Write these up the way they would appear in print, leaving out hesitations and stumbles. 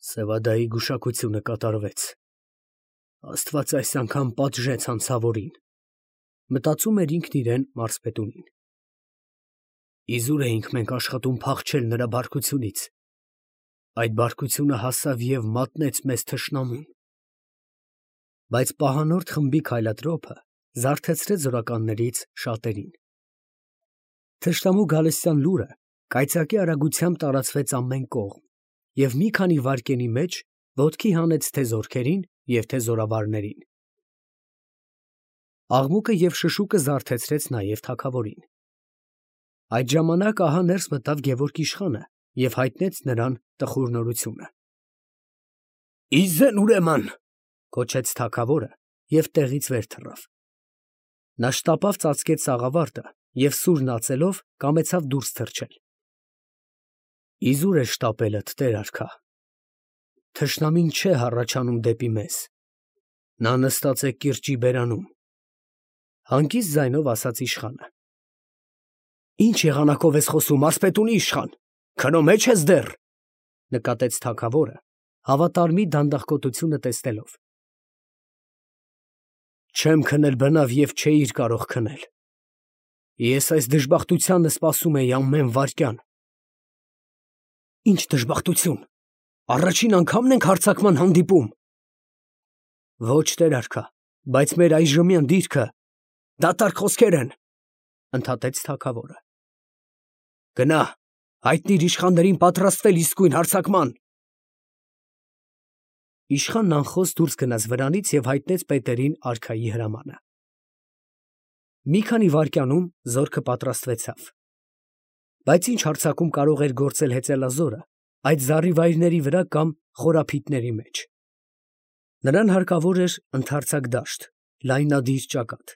Սևադայի գուշակությունը կատարվեց։ Աստված այս անգամ պատժեց անցավորին, մտածում էր ինքն իրեն մարզպետունին։ Իզուր էինք մենք աշխատում փախչել նրա բարկությունից։ Այդ բարկությունը հասավ և մատնեց մեզ թշնամուն։ Բայց պահանորդ խմբի քայլատրոփը զարթեցրեց զորականներից շատերին։ Թշնամու գալստյան լուրը կայծակի արագությամբ տարածվեց ամեն կողմ և մի քանի վայրկենի մեջ ոտքի հանեց թե զորքերին և թե զորավարներին։ Աղմուկը և շշուկը զարթեցրեց նաև թագավորին։ Այդ ժամանակ ահա ներս մտավ Գևորգ իշխանը և հայտնեց նրան տխուր նորությունը։ «Իզեն ուրեմն», գոչեց թագավորը և տեղից վեր թռավ։ Նա շտապավ ծածկեց սաղավարտը և սուրն ածելով կամեցավ դուրս թռչել։ Իզուր է շտապելդ, տեր արքա, թշնամին չէ հառաչանում դեպի մեզ, նա նստած է կիրճի բերանում, հանգիստ ձայնով ասաց իշխանը։ Ինչ եղանակով ես խոսում, մարզպետունի իշխան, քնո մեջ ես դեռ, նկատեց թագավորը, հավատարմի դանդաղկոտությունը տեսնելով։ Չեմ քնել բնավ և չէիր կարող քնել։ Ես այս դժբախտությանը սպասում էի ամեն վայրկյան։ Ինչ դժբախտություն, առաջին անգամն ենք հարձակման հանդիպում։ Ոչ, տեր արքա, բայց մեր այժմյան դիրքը դատարկ խոսքեր են, ընդհատեց թագավորը։ Գնա, հայտնիր իշխաններին պատրաստվել իսկույն հարձակման։ Իշխանն անխոս դուրս գնաց վրանից և հայտնեց պետերին արքայի հրամանը։ Մի քանի վայրկյանում զորքը պատրաստվեցավ։ Բայց ինչ հարձակում կարող էր գործել հեծելազորը այդ զառիվայրների վրա կամ խորափիտների մեջ։ Նրան հարկավոր էր ընդարձակ դաշտ, լայնադիր ճակատ։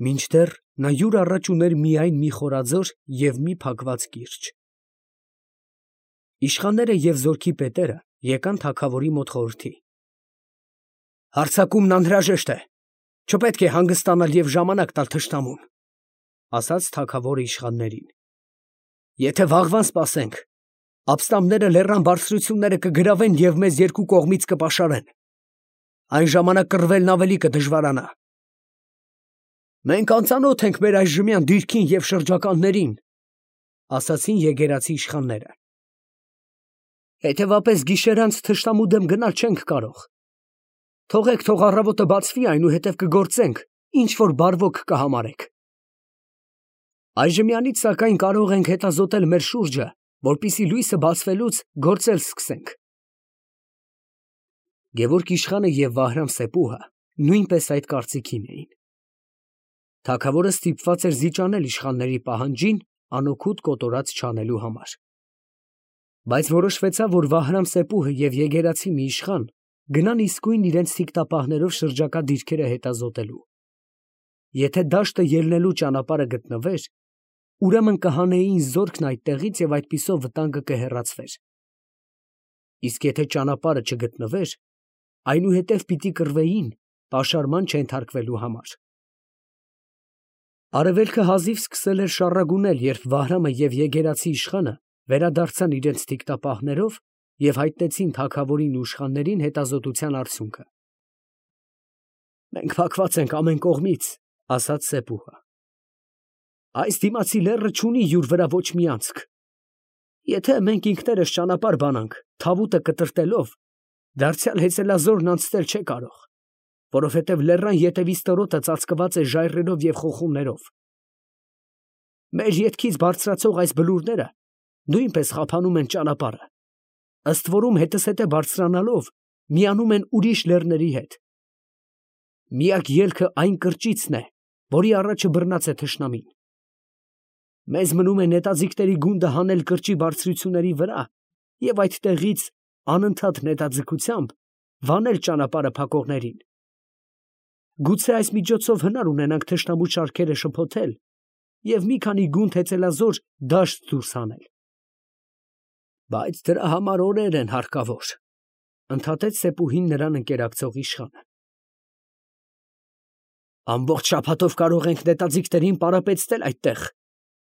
Մինչդեռ նա յուր առաջ ուներ միայն մի խորաձոր և մի փակված կիրճ։ Իշխանները և զորքի պետերը եկան թագավորի մոտ խորհրդի։ Հարձակումն անհրաժեշտ է, չպետք է հանգստանալ և ժամանակ տալ թշնամուն, ասաց թագավորը իշխաններին։ Եթե վաղվան սպասենք, ապստամբները լեռան բարձրությունները կգրավեն և մեզ երկու կողմից կպաշարեն, այն ժամանակ կռվելն ավելի կդժվարանա։ Մենք անծանոթ ենք մեր այժմյան դիրքին և շրջականներին, ասացին եգերացի իշխանները։ Հետևապես գիշերանց թշնամու դեմ գնալ չենք կարող։ Թողեք, թող առավոտը բացվի, այնուհետև կգործենք, ինչ որ բարվոք կհամարեք։ Այժմյանից սակայն կարող ենք հետազոտել մեր շուրջը, որպեսզի լույսը բացվելուց գործել սկսենք։ Գևորգ իշխանը և Վահրամ-Սեպուհը նույնպես այդ կարծիքին էին։ Թագավորը ստիպված էր զիջանել իշխանների պահանջին անօգուտ կոտորած չանելու համար։ Բայց որոշվեցավ, որ Վահրամ-Սեպուհը և եգերացի մի իշխան գնան իսկույն իրենց թիկտապահներով շրջակա դիրքերը հետազոտելու։ Եթե դաշտը ելնելու ճանապարհը գտնվեր, ուրեմն կհանեին զորքն այդտեղից և այդպիսով վտանգը կհեռացվեր։ Իսկ եթե ճանապարհը չգտնվեր, այնուհետև պիտի կռվեին պաշարման չենթարկվելու համար։ Արևելքը հազիվ սկսել էր շառագունել, երբ Վահրամը և եգերացի իշխանը վերադարձան իրենց թիկտապահներով և հայտնեցին թագավորին ու իշխաններին հետազոտության արդյունքը։ Մենք փակված ենք ամեն կողմից, ասաց Սեպուհը։ Այս դիմացի լեռը չունի յուր վրա ոչ մի անցք։ Եթե մենք ինքներս ճանապարհ բանանք, թավուտը կտրտելով, դարձյալ հեծելազորն անցնել չէ կարող, որովհետև լեռան ետևի ստորոտը ծածկված է ժայռերով և խոխուններով։ Մեր ետքից բարձրացող այս բլուրները նույնպես խափանում են ճանապարհը, ըստ որում հետզհետե բարձրանալով միանում են ուրիշ լեռների հետ։ Միակ ելքը այն կրճիցն է, որի առաջը բռնած է թշնամին։ Մեզ մնում է նետաձիգների գունդը հանել կրճի բարձրությունների վրա և այդտեղից անընդհատ նետաձգությամբ վանել ճանապարհը փակողներին։ Գուցե այս միջոցով հնար ունենանք թշնամու շարքերը շփոթել և մի քանի գունդ հեծելազոր դաշտ դուրս հանել։ Բայց դրա համար օրեր են հարկավոր, ընդհատեց Սեպուհին նրան ընկերակցող իշխանը։ Ամբողջ շաբաթով կարող ենք նետաձիգներին պարապեցնել այդտեղ,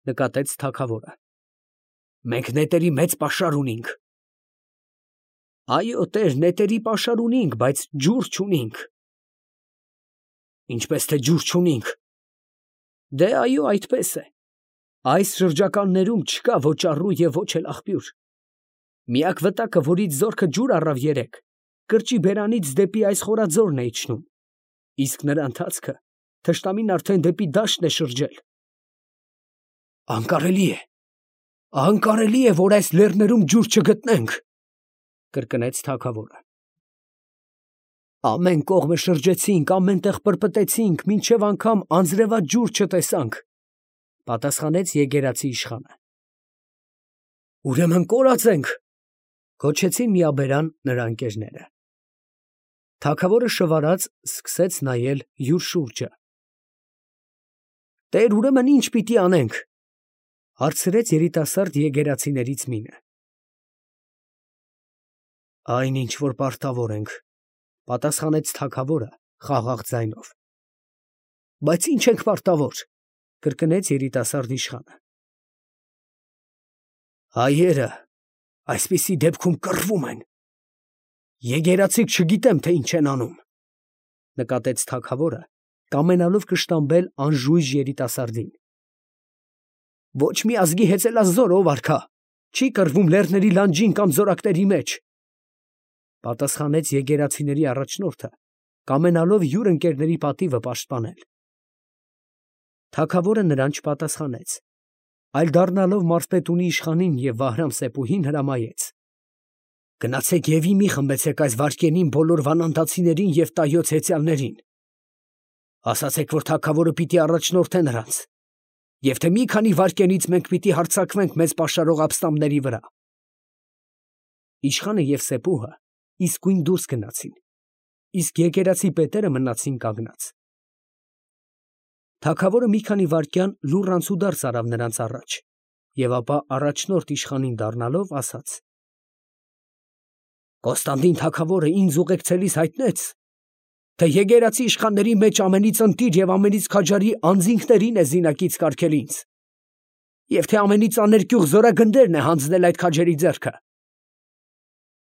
նկատեց թագավորը։ Մենք նետերի մեծ պաշար ունենք։ Այո, տեր, նետերի պաշար ունինք, բայց ջուր չունինք։ Ինչպես թե ջուր չունինք։ Դե այո, այդպես է։ Այս շրջականներում չկա ոչ առու և ոչ էլ աղբյուր։ Միակ վտակը, որից զորքը ջուր առավ երեկ, կրճի բերանից դեպի այս խորաձորն է իջնում, իսկ նրա ընթացքը թշնամին արդեն դեպի դաշտն է շրջել։ Անկարելի է, որ այս լեռներում ջուր չգտնենք, կրկնեց թագավորը։ Ամեն կողմը շրջեցինք, ամեն տեղ պրպտեցինք, մինչև անգամ անձրևած ջուր չտեսանք, պատասխանեց եկեղեցի իշխանը։ Ուրեմն կորած ենք, գոչեցին միաբերան նրա ընկերները։ Թագավորը շվարած սկսեց նայել յուր շուրջը։ Տեր, ուրեմն ինչ պիտի անենք, հարցրեց երիտասարդ եկեղեցիներից մինը։ Այն ինչ որ պարտավոր ենք, պատասխանեց թագավորը խաղաղ ձայնով։ Բայց ինչ ենք պարտավոր, կրկնեց երիտասարդ իշխանը։ Հայերը այսպիսի դեպքում կռվում են։ Եկեղեցիք չգիտեմ, թե ինչ են անում, նկատեց թագավորը, կամենալով կշտամբել անժույժ երիտասարդին։ Ոչ մի ազգի հեծելազոր ով արքա, չի կռվում լեռների լանջին կամ զորակների մեջ, պատասխանեց եկեղեցիների առաջնորդը, կամենալով յուր ընկերների պատիվը պաշտպանել։ Թագավորը նրան չպատասխանեց, այլ դառնալով մարզպետունի իշխանին և Վահրամ-Սեփուհին հրամայեց. Գնացեք և մի խմբեցեք այս վայրկենին բոլոր վանանդացիներին և տայոց հեծյալներին։ Ասացեք, որ թագավորը պիտի առաջնորդե նրանց, և թե մի քանի վայրկենից մենք պիտի հարձակվենք մեզ պաշարող ապստամբների վրա։ Իշխանը և Սեփուհը իսկույն դուրս գնացին, իսկ եկեղեցի պետերը մնացին կանգնած։ Թագավորը մի քանի վայրկյան լուռ անցուդարձ արավ նրանց առաջ, և ապա առաջնորդ իշխանին դառնալով ասաց. Կոստանդին թագավորը ինձ ուղեկցելիս հայտնեց, թե եկեղեցի իշխանների մեջ ամենից ընտիր և ամենից քաջարի անձինքներին է զինակից կարգել ինձ, և թե ամենից աներկյուղ զորագնդերն է հանձնել այդ քաջերի ձեռքը։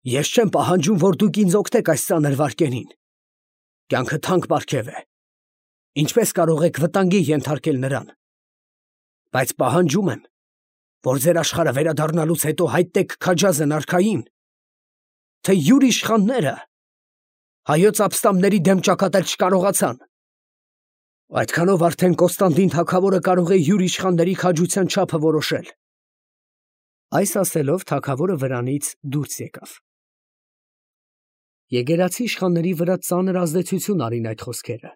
Ես չեմ պահանջում, որ դուք ինձ օգնեք այս ծանր վայրկենին։ Կյանքը թանկ պարգև է։ Ինչպես կարող եք վտանգի ենթարկել նրան։ Բայց պահանջում եմ, որ ձեր աշխարհը վերադառնալուց հետո հայտնեք քաջազն արքային, թե յուր իշխանները հայոց ապստամբների դեմ ճակատել չկարողացան։ Այդքանով արդեն Կոստանդին թագավորը կարող է յուր իշխանների քաջության չափը որոշել։ Այս ասելով թագավորը վրանից դուրս եկավ։ Եկեղեցի իշխանների վրա ծանր ազդեցություն արին այդ խոսքերը։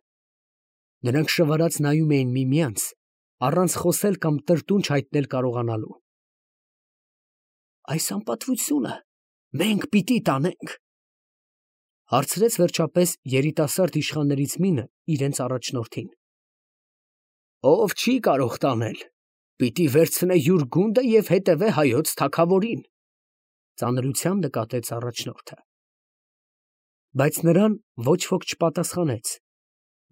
Նրանք շվարած նայում էին միմյանց, առանց խոսել կամ տրտունջ հայտնել կարողանալու։ Այս անպատվությունը մենք պիտի տանենք, հարցրեց վերջապես երիտասարդ իշխաններից մինը իրենց առաջնորդին։ Ով չի կարող տանել, պիտի վերցնե յուր գունդը և հետևե հայոց թագավորին, ծանրությամբ նկատեց առաջնորդը։ Բայց նրան ոչ ոք չպատասխանեց,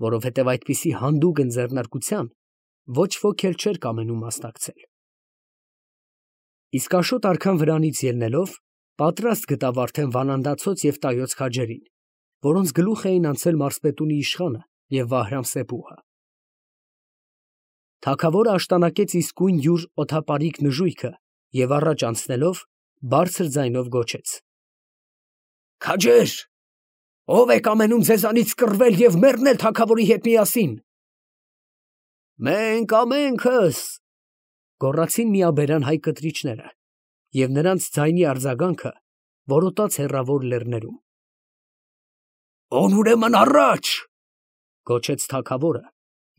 որովհետև այդպիսի հանդուգն ձեռնարկության ոչ ոք էլ չէր կամենում մասնակցել։ Իսկ Աշոտ արքան վրանից ելնելով, պատրաստ գտավ արդեն վանանդացոց և տայոց քաջերին, որոնց գլուխ էին անցել մարզպետունի իշխանը և Վահրամ-Սեփուհը։ Թագավորը աշտանակեց իսկույն յուր օդապարիկ նժույգը և առաջ անցնելով, բարձր ձայնով գոչեց. Քաջեր, ո՞վ է կամենում ձեզանից կռվել և մեռնել թագավորի հետ միասին։ Մենք ամենքս, գոռացին միաբերան հայ կտրիչները, և նրանց ձայնի արձագանքը որոտաց հեռավոր լեռներում։ Ուրեմն առաջ, գոչեց թագավորը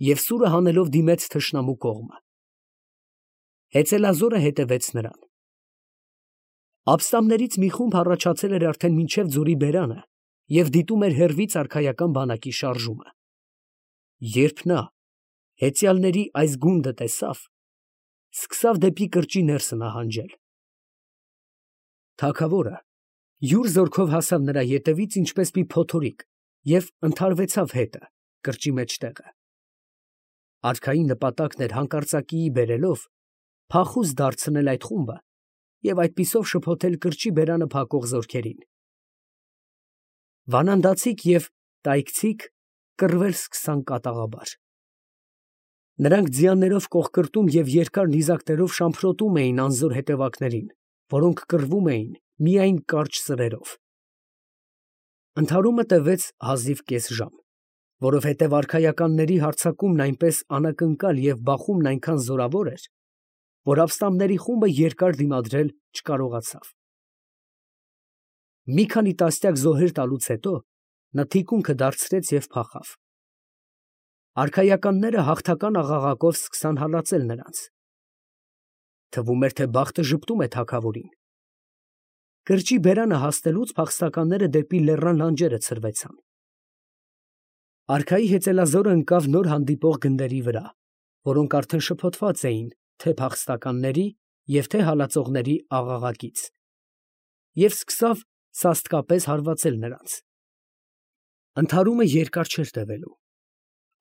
և սուրը հանելով դիմեց թշնամու կողմը։ Հեծելազորը հետևեց նրան։ Ապստամբներից մի խումբ հառաչացել էր արդեն մինչև ձորի բերանը և դիտում էր հեռվից արքայական բանակի շարժումը։ Երբ նա հեծյալների այս գունդը տեսավ, սկսավ դեպի կրճի ներսը նահանջել։ Թագավորը յուր զորքով հասավ նրա ետևից ինչպես մի փոթորիկ և ընդհարվեցավ հետը կրճի մեջտեղը։ Արքայի նպատակն էր հանկարծակիի բերելով փախուստ դարձնել այդ խումբը և այդպիսով շփոթել կրճի բերանը փակող զորքերին։ Վանանդացիք և տայքցիք կռվել սկսան կատաղաբար։ Նրանք ձիաներով կողկրտում և երկար նիզակներով շամփրոտում էին անզոր հետևակներին, որոնք կռվում էին միայն կարճ սրերով։ Ընդհարումը տևեց հազիվ կես ժամ, որովհետև արքայականների հարձակումն այնպես անակնկալ և բախումն այնքան զորավոր էր, որ ապստամբների խումբը երկար դիմադրել չկարողացավ։ Մի քանի տասնյակ զոհեր տալուց հետո նա թիկունքը դարձրեց և փախավ։ Արքայականները հաղթական աղաղակով սկսան հալածել նրանց։ Թվում էր, թե բախտը ժպտում է թագավորին։ Կրճի բերանը հասնելուց փախստականները դեպի լեռան լանջերը ցրվեցան։ Արքայի հեծելազորը ընկավ նոր հանդիպող գնդերի վրա, որոնք արդեն շփոթված էին թե փախստականների և թե հալածողների աղաղակից, և սկսավ սաստկապես հարվածել նրանց։ Ընդհարումը երկար չէր տևելու։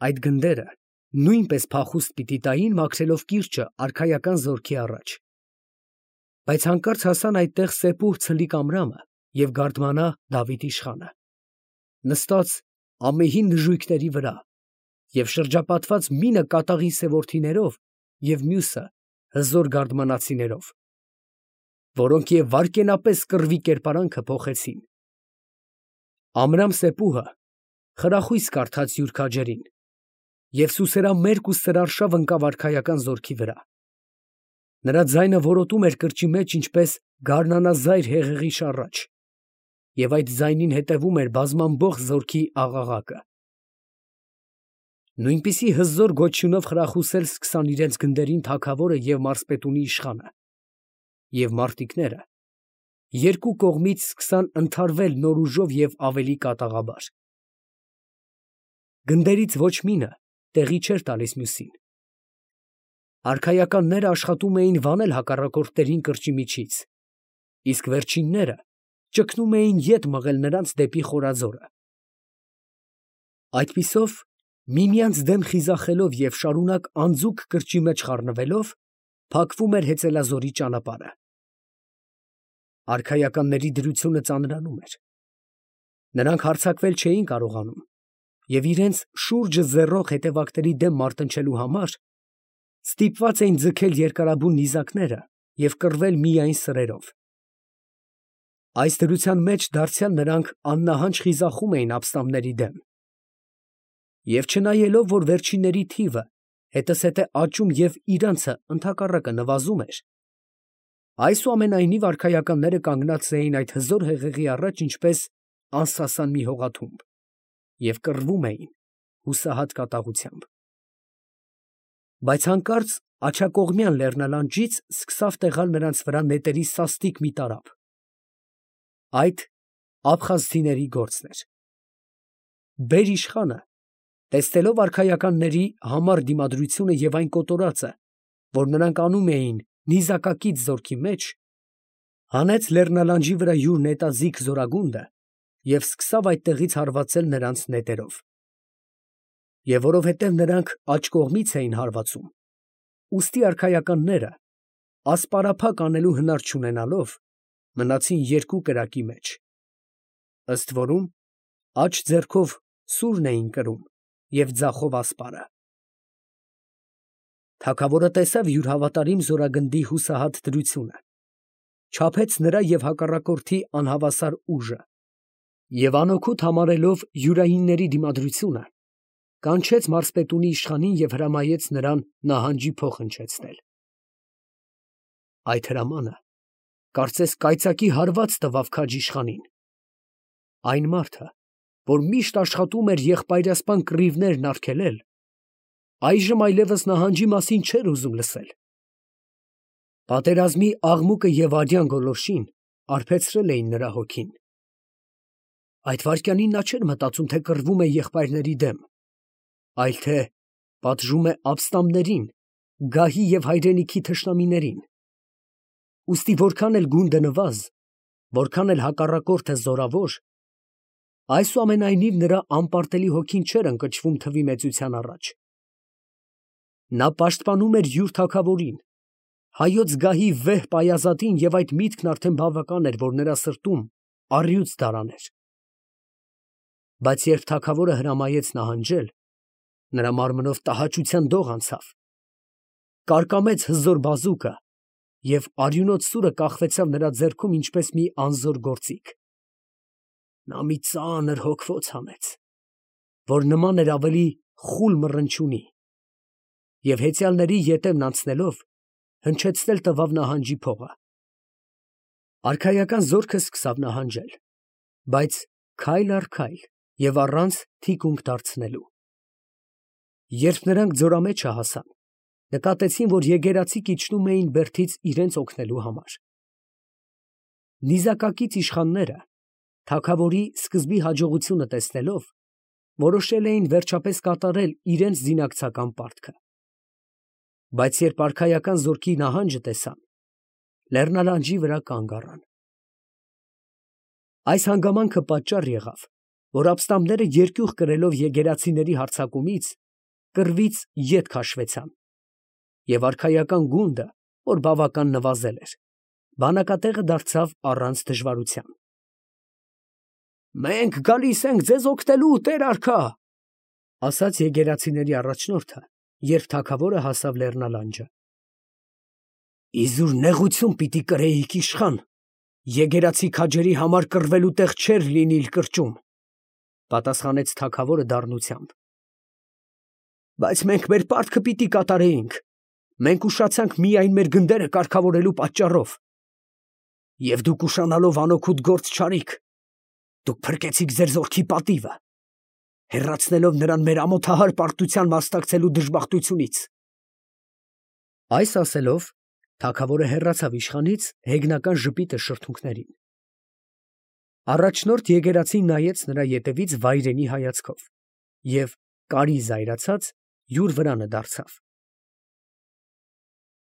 Այդ գնդերը նույնպես փախուստ պիտի տային, մաքրելով կիրճը արքայական զորքի առաջ։ Բայց հանկարծ հասան այդտեղ Սեպուհ ցլիկ Ամրամը և Գարդմանա Դավիթ իշխանը, նստած ամեհի նժույգների վրա և շրջապատված մինը կատաղի սև և մյուսը հզոր գարդմանացիներով, որոնք և վայրկենապես կռվի կերպարանքը փոխեցին։ Ամրամ Սեպուհը խրախույս կարդաց յուր քաջերին և սուսերամերկ ու սրարշավ ընկավ արքայական զորքի վրա։ Նրա ձայնը որոտում էր կրճի մեջ ինչպես գարնանազայր հեղեղի շառաչ, և այդ ձայնին հետևում էր բազմամբոխ զորքի աղաղակը։ Նույնպիսի հզոր գոչյունով խրախուսել սկսան իրենց գնդերին թագավորը և մարզպետունի իշխանը, և մարտիկները երկու կողմից սկսան ընդհարվել նոր ուժով և ավելի կատաղաբար։ Գնդերից ոչ մինը տեղի չէր տալիս մյուսին։ Արքայականները աշխատում էին վանել հակառակորդներին կրճի միջից, իսկ վերջինները ճգնում էին ետ մղել նրանց դեպի խորաձորը։ Այդպիսով, միմյանց դեմ խիզախելով և շարունակ անձուկ կրճի մեջ խառնվելով, փակվում էր հեծելազորի ճանապարհը։ Արքայականների դրությունը ծանրանում էր։ Նրանք հարձակվել չէին կարողանում և իրենց շուրջը ձեռող հետևակների դեմ մարտնչելու համար ստիպված էին ձգել երկարաբուն նիզակները և կռվել միայն սրերով։ Այս դրության մեջ դարձյալ նրանք աննահանջ խիզախում էին ապստամբների դեմ։ Եվ չնայելով, որ վերջինների թիվը հետզհետե աճում և իրանցը ընդհակառակը նվազում էր, այսուամենայնիվ արքայականները կանգնած էին այդ հզոր հեղեղի առաջ ինչպես անսասան մի հողաթումբ և կռվում էին հուսահատ կատաղությամբ։ Բայց հանկարծ աջակողմյան լեռնալանջից սկսավ տեղալ նրանց վրա նետերի սաստիկ մի տարափ։ Այդ աբխազցիների գործն էր։ Բեր֊իշխանը, տեսնելով արքայականների համառ դիմադրությունը և այն կոտորածը, որ նրանք անում էին նիզակակից զորքի մեջ, հանեց լեռնալանջի վրա յուր նետաձիգ զորագունդը և սկսավ այդտեղից հարվածել նրանց նետերով։ Եվ որովհետև նրանք աջ կողմից էին հարվածում, ուստի արքայականները, ասպարափակ անելու հնար չունենալով, մնացին երկու կրակի մեջ, ըստ որում աջ ձեռքով սուրն էին կրում և ձախով ասպարը։ Թագավորը տեսավ յուր հավատարիմ զորագնդի հուսահատ դրությունը, չափեց նրա և հակառակորդի անհավասար ուժը և անօգուտ համարելով յուրայինների դիմադրությունը, կանչեց մարզպետունի իշխանին և հրամայեց նրան նահանջի փող հնչեցնել։ Այդ հրամանը կարծես կայծակի հարված տվավ քաջիշխանին։ Այն մարդը, որ միշտ աշխատում էր եղբայրասպան կռիվներն արգելել, այժմ այլևս նահանջի մասին չէր ուզում լսել։ Պատերազմի աղմուկը և արյան գոլորշին արբեցրել էին նրա հոգին։ Այդ վայրկյանին նա չէր մտածում, թե կռվում է եղբայրների դեմ, այլ թե պատժում է ապստամբներին, գահի և հայրենիքի թշնամիներին։ Ուստի որքան էլ գունդը նվազ, որքան էլ հակառակորդը զորավոր, այսուամենայնիվ նրա անպարտելի հոգին չէր ընկճվում թվի մեծության առաջ։ Նա պաշտպանում էր յուր թագավորին, հայոց գահի վեհ պայազատին, և այդ միտքն արդեն բավական էր, որ նրա սրտում առյուծ դարաներ։ Բայց երբ թագավորը հրամայեց նահանջել, նրա մարմնով տհաճության դող անցավ, կարկամեց հզոր բազուկը և արյունոտ սուրը կախվեցավ նրա ձեռքում ինչպես մի անզոր գործիք. նա մի ծանր հոգվոց հանեց, որ նման էր ավելի խուլ մռնչյունի, և հեծյալների ետևն անցնելով հնչեցնել տվավ նահանջի փողը. արքայական զորքը սկսավ նահանջել, բայց քայլ առ քայլ և առանց թիկունք դարձնելու։ Երբ նրանք ձորամեջը հասան, նկատեցին, որ եկեղեցիք իջնում էին բերդից իրենց օգնելու համար։ Նիզակակից իշխանները, թագավորի սկզբի հաջողությունը տեսնելով, որոշել էին վերջապես կատարել իրենց զինակցական պարտքը։ Բայց երբ արքայական զորքի նահանջը տեսան, լեռնալանջի վրա կանգ առան։ Այս հանգամանքը պատճառ եղավ, որ ապստամբները երկյուղ կրելով եկեղեցիների հարձակումից, կռվից ետ քաշվեցան, և արքայական գունդը, որ բավական նվազել էր, բանակատեղը դարձավ առանց դժվարության։ «Մենք գալիս ենք ձեզ օգնելու, տեր արքա», ֊ ասաց եկեղեցիների առաջնորդը, երբ թագավորը հասավ լեռնալանջը։ «Իզուր նեղություն պիտի կրեիք, իշխան, եկեղեցի քաջերի համար կռվելու տեղ չէր լինիլ կրճում, ֊ պատասխանեց թագավորը դառնությամբ։ Բայց մենք մեր պարտքը պիտի կատարեինք, մենք ուշացանք միայն մեր գնդերը կարգավորելու պատճառով։ Եվ դուք ուշանալով անօգուտ գործ չարիք, դուք փրկեցիք ձեր զորքի պատիվը, հեռացնելով նրան մեր ամոթահար պարտության մասնակցելու դժբախտությունից։ Այս ասելով, թագավորը հեռացավ իշխանից հեգնական ժպիտը շրթունքներին։ Առաջնորդ եկեղեցին նայեց նրա ետևից վայրենի հայացքով և, կարի զայրացած, յուր վրանը դարձավ։